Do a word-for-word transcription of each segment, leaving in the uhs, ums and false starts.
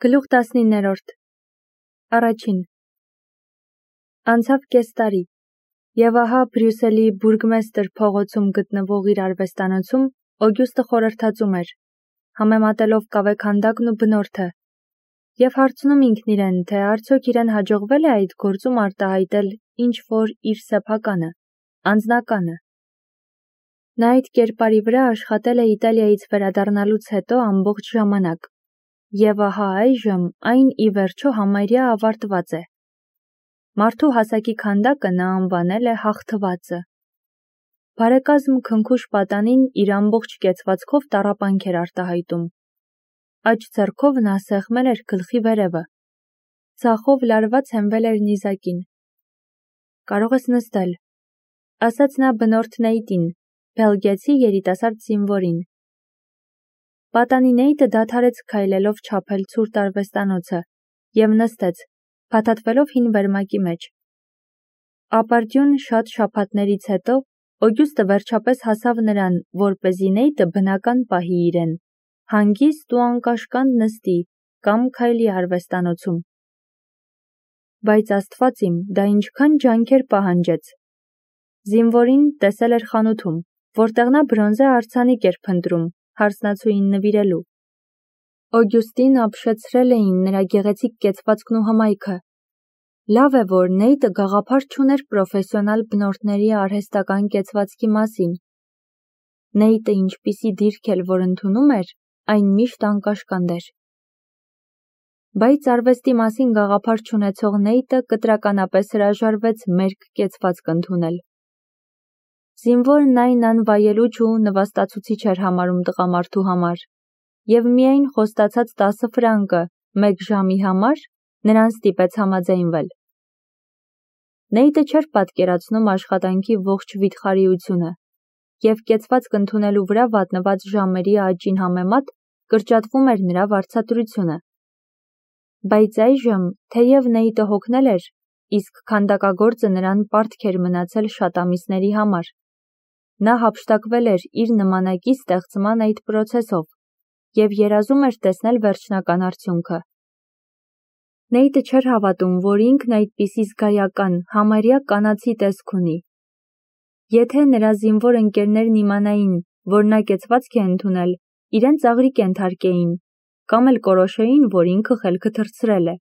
Գլուխ տասնիններորդ Առաջին Անցավ կես տարի, և ահա Բրյուսելի բուրգմեստր փողոցում գտնվող իր արվեստանոցում Օգյուստը խորհրդածում էր, համեմատելով կավե քանդակն ու բնորդը, և հարցնում ինքն իրեն, թե արդյոք իրեն հաջողվել է այդ գործում արտահայտել ինչ-որ իր սեփականը, անձնականը։ Նա այդ կերպարի վրա աշխատել է Իտալիայից վերադառնալուց հետո ամբողջ ժամանակ, և ահա այժմ այն ի վերջո համարյա ավարտված է։ Մարդու հասակի քանդակը նա անվանել է հաղթվածը։ Բարեկազմ քնքուշ պատանին իր ամբողջ կեցվածքով տառապանք էր արտահայտում։ Աջ ձեռքով նա սեղմել էր գլխի վերևը, ձախով լարված հենվել էր նիզակին։ «Կարող ես նստել», ասաց նա բնորդ Նեյտին, բելգիացի երիտասարդ զինվորին։ Պատանի Նեյտը դադարեց քայլելով չափել ցուրտ արվեստանոցը և նստեց, փաթաթվելով հին վերմակի մեջ։ Ապարդյուն շատ շաբաթներից հետո Օգյուստը վերջապես հասավ նրան, որպեսզի Նեյտը բնական պահի իրեն, հանգիստ ու անկաշկանդ նստի կամ քայլի արվեստանոցում։ Բայց Աստված իմ, դա ինչքան ջանքեր պահանջեց։ Զինվորին տեսել էր խանութում, որտեղ նա բրոնզե արձանիկ էր փնտրում հարսնացուին նվիրելու։ Օգյուստին ապշեցրել էին նրա գեղեցիկ կեցվածքն ու հմայքը։ Լավ է, որ Նեյտը գաղափար չուներ պրոֆեսիոնալ բնորդների արհեստական կեցվածքի մասին։ Նեյտը ինչպիսի դիրք էլ որ ընդունում էր, այն միշտ անկաշկանդ էր։ Բայց արվեստի մասին գաղափար չունեցող Նեյտը կտրականապես հրաժարվեց մերկ կեցվածք ընդունել։ Զինվորն այն անվայելուչ ու նվաստացուցիչ էր համարում տղամարդու համար, և միայն խոստացած տասը ֆրանկը մեկ ժամի համար նրան ստիպեց համաձայնվել։ Նեյտը չէր պատկերացնում աշխատանքի ողջ վիթխարիությունը, և կեցվածք ընդունելու վրա վատնված ժամերի աճին համեմատ կրճատվում էր նրա վարձատրությունը։ Բայց այժմ, թեև Նեյտը հոգնել էր, իսկ քանդակագործը նրան պարտք էր մնացել շատ ամիսների համար, նա հափշտակվել էր իր նմանակի ստեղծման այդ պրոցեսով և երազում էր տեսնել վերջնական արդյունքը։ Նեյտը չէր հավատում, որ ինքն այդպիսի զգայական, համարյա կանացի տեսք ունի։ Եթե նրա զինվոր ընկերներն իմանային, որ նա կեցվածք է ընդունել, իրեն ծաղրի կենթարկեին, կամ էլ կորոշեին, որ ինքը խելքը թռցրել է։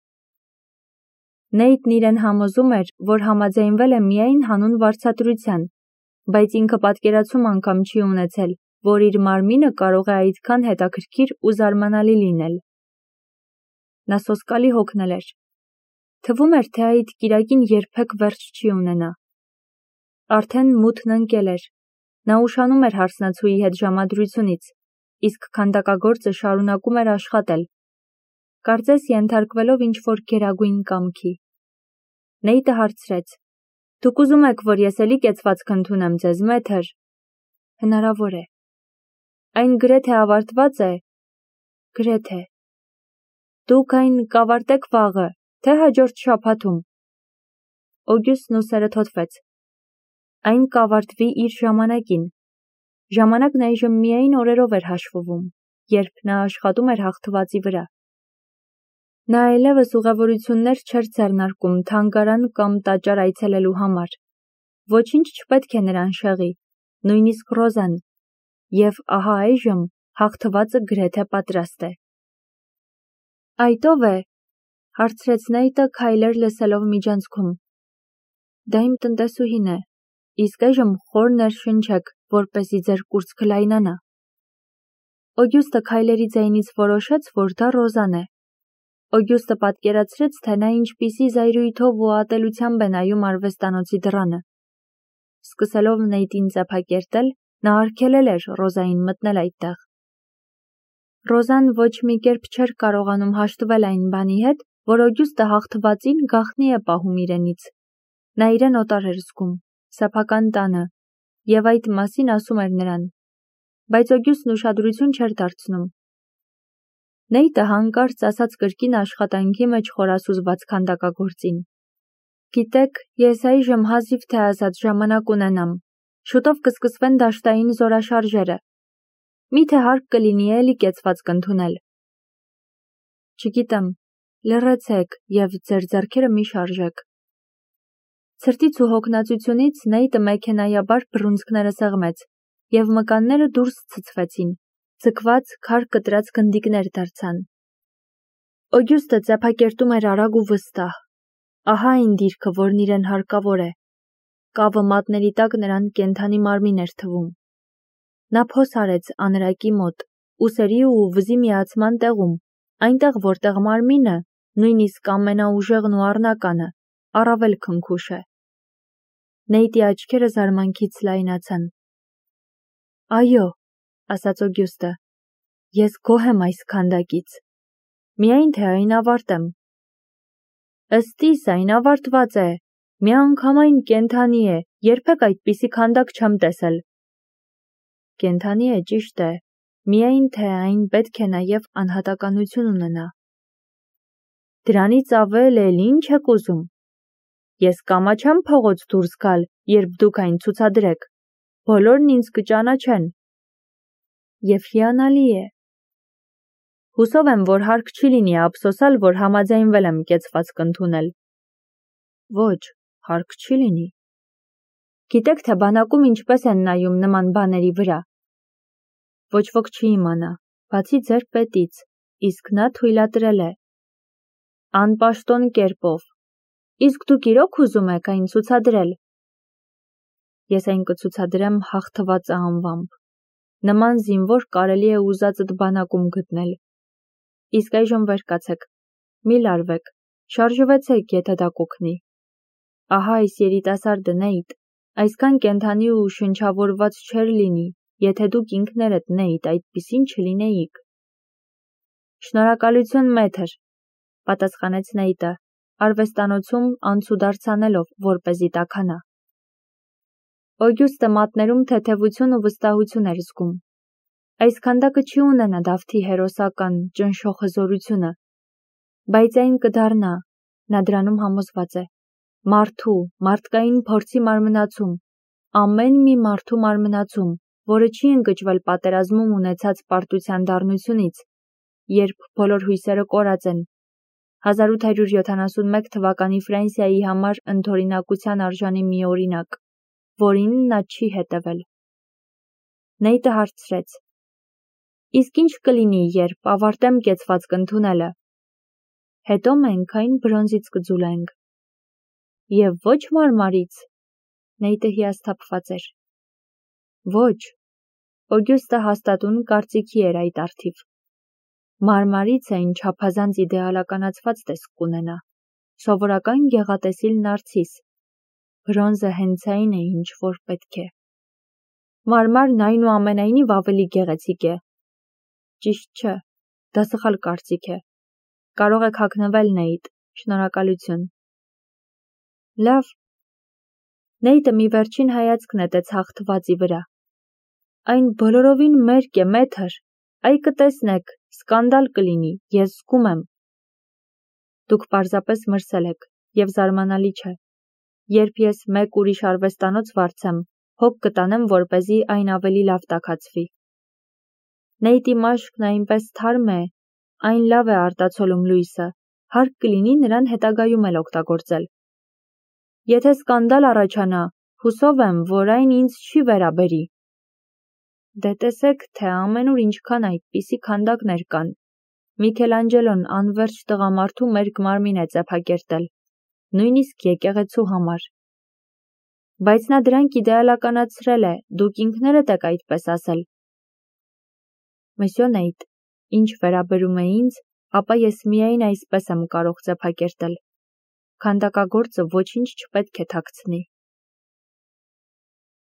Նեյտն իրեն համոզում էր, որ համաձայնվել է միայն հանուն վարձատրության, բայց ինքը պատկերացում անգամ չի ունեցել, որ իր մարմինը կարող է այդքան հետաքրքիր ու զարմանալի լինել։ Նա սոսկալի հոգնել էր։ Թվում էր, թե այդ կիրակին երբեք վերջ չի ունենա։ Արդեն մութն ընկել էր։ Նա ուշանում էր հարսնացուի հետ ժամադրությունից, իսկ քանդակագործը շարունակում էր աշխատել, կարծես ենթարկվելով ինչ-որ գերագույն կամքի։ Նեյտը հարցրեց. «Դուք ուզում եք, որ ես էլի կեցվածք ընդունեմ ձեզ, մեթր»։ Հնարավոր է։ Այն գրեթե ավարտված է։ Գրեթե։ Դուք այն կավարտեք վաղը, թե հաջորդ շաբաթում։ Օգյուստն ուսերը թոթվեց։ Այն կավարտվի իր ժամանակին։ Ժամանակն այժմ միայն օրերով էր հաշվվում, երբ նա աշխատում էր հաղթվածի վրա։ Նա այլևս ուղևորություններ չէր ձեռնարկում թանգարան կամ տաճար այցելելու համար։ Ոչինչ չպետք է նրան շեղի, նույնիսկ Ռոզան, և ահա այժմ հաղթվածը գրեթե պատրաստ է։ Այդ ո՞վ է, հարցրեց Նեյտը քայլեր լսելով միջանցքում։ Դա իմ տնտեսուհին է, իսկ այժմ խոր ներշնչեք, որպեսզի ձեր կուրծքը լայնանա։ Օգյուստը քայլերի ձայնից որոշեց, որ դա Ռոզան է։ Օգյուստը պատկերացրեց, թե նա ինչպիսի զայրույթով ու ատելությամբ է նայում արվեստանոցի դռանը։ Սկսելով Նեյտին ծեփակերտել, նա արգելել էր Ռոզային մտնել այդտեղ։ Ռոզան ոչ մի կերպ չէր կարողանում հաշտվել այն բանի հետ, որ Օգյուստը հաղթվածին գաղտնի է պահում իրենից։ Նա իրեն օտար էր զգում, սեփական տանը, և այդ մասին ասում էր նրան, բայց Օգյուստն ուշադրություն չէր դարձնում։ Նեյտը հանկարծ ասաց կրկին աշխատանքի մեջ խորասուզված քանդակագործին. «Գիտեք, ես այժմ հազիվ թե ազատ ժամանակ ունենամ, շուտով կսկսվեն դաշտային զորաշարժերը։ Միթե հարկ կլինի էլի կեցվածք ընդունել»։ Չգիտեմ, լռեցեք և ձեր ձեռքերը մի շարժեք։ Ցրտից ու հոգնածությունից Նեյտը մեքենայաբար բռունցքները սեղմեց, և մկանները դուրս ցցվեցին, ձգված քար կտրած գնդիկներ դարձան։ Օգյուստը ծեփակերտում էր արագ ու վստահ։ Ահա այն դիրքը, որն իրեն հարկավոր է։ Կավը մատների տակ նրան կենդանի մարմին էր թվում։ Նա փոս արեց անրակի մոտ, ուսերի ու վզի միացման տեղում, այնտեղ, որտեղ մարմինը, նույնիսկ ամենաուժեղն ու առնականը, առավել քնքուշ է։ Նեյտի աչքերը զարմանքից լայնացան։ Այո, ասաց Օգյուստը, ես գոհ եմ այս քանդակից։ Միայն թե այն ավարտեմ։ Ըստ իս այն ավարտված է, միանգամայն կենդանի է, երբեք այդպիսի քանդակ չեմ տեսել։ Կենդանի է, ճիշտ է, միայն թե այն պետք է նաև անհատականություն ունենա։ Դրանից ավել էլ ինչ եք ուզում։ Ես կամաչեմ փողոց դուրս գալ, երբ դուք այն ցուցադրեք։ Բոլորն ինձ կճանաչեն։ Եվ հիանալի է։ Հուսով եմ, որ հարկ չի լինի ափսոսալ, որ համաձայնվել եմ կեցվածք ընդունել։ Ոչ, հարկ չի լինի։ Գիտեք, թե բանակում ինչպես են նայում նման բաների վրա։ Ոչ ոք չի իմանա, բացի ձեր պետից, իսկ նա թույլատրել է։ Անպաշտոն կերպով։ Իսկ դուք իրոք ուզում եք այն ցուցադրել։ Ես այն կցուցադրեմ հաղթվածը անվամբ։ Նման զինվոր կարելի է ուզածդ բանակում գտնել։ Իսկ այժմ վեր կացեք, մի լարվեք, շարժվեցեք, եթե դա կօգնի։ Ահա այս երիտասարդը Նեյտ, այսքան կենդանի ու շնչավորված չէր լինի, եթե դուք ինքներդ Նեյտ այդպիսին չլինեիք։ Շնորհակալություն, մեթր, պատասխանեց Նեյտը, արվեստանոցում անցուդարձ անելով, որպեսզի տաքանա։ Օգյուստը մատներում թեթևություն ու վստահություն էր զգում։ Այս քանդակը չի ունենա Դավթի հերոսական ճնշող հզորությունը, բայց այն կդառնա, նա դրանում համոզված է, մարդու, մարդկային փորձի մարմնացում, ամեն մի մարդու մարմնացում, որը չի ընկճվել պատերազմում ունեցած պարտության դառնությունից, երբ բոլոր հույսերը կորած են, հազար ութ հարյուր յոթանասունմեկ թվականի Ֆրանսիայի համար ընդօրինակության արժանի մի օրինակ, որին նա չի հետևել։ Նեյտը հարցրեց. Իսկ ինչ կլինի, երբ ավարտեմ կեցվածք ընդունելը։ Հետո մենք այն բրոնզից կձուլենք։ Եվ ոչ մարմարից։ Նեյտը հիասթափված էր։ Ոչ։ Օգյուստը հաստատուն կարծիքի էր այդ առթիվ։ Մարմարից այն չափազանց իդեալականացված տեսք կունենա։ Սովորական գեղատեսիլ նարցիս։ Բրոնզը հենց այն է, ինչ որ պետք է։ Մարմարն այնուամենայնիվ ավելի գեղեցիկ է։ Ճիշտ չէ, դա սխալ կարծիք է։ Կարող եք հագնվել, Նեյտ, շնորհակալություն։ Լավ։ Նեյտը մի վերջին հայացք նետեց հաղթվածի վրա։ Այն բոլորովին մերկ է, մեթր, այ կտեսնեք, սկանդալ կլինի, ես զգում եմ։ Դուք պարզապես մրսել եք, և զարմանալի չէ։ Երբ ես մեկ ուրիշ արվեստանոց վարձեմ, հոգ կտանեմ, որպեսզի այն ավելի լավ տաքացվի։ Նեյտի մաշկն այնպես թարմ է, այն լավ է արտացոլում լույսը, հարկ կլինի նրան հետագայում էլ օգտագործել։ Եթե սկանդալ առաջանա, հուսով եմ, որ այն ինձ չի վերաբերի։ Դե տեսեք, թե ամենուր ինչքան այդպիսի քանդակներ կան։ Միքելանջելոն անվերջ տղամարդու մերկ մարմին է ծեփակերտել, նույնիսկ եկեղեցու համար։ Բայց նա դրանք իդեալականացրել է, դուք ինքներդ եք այդպես ասել։ Մսյո Նեյտ, ինչ վերաբերում է ինձ, ապա ես միայն այսպես եմ կարող ծեփակերտել։ Քանդակագործը ոչինչ չպետք է թաքցնի։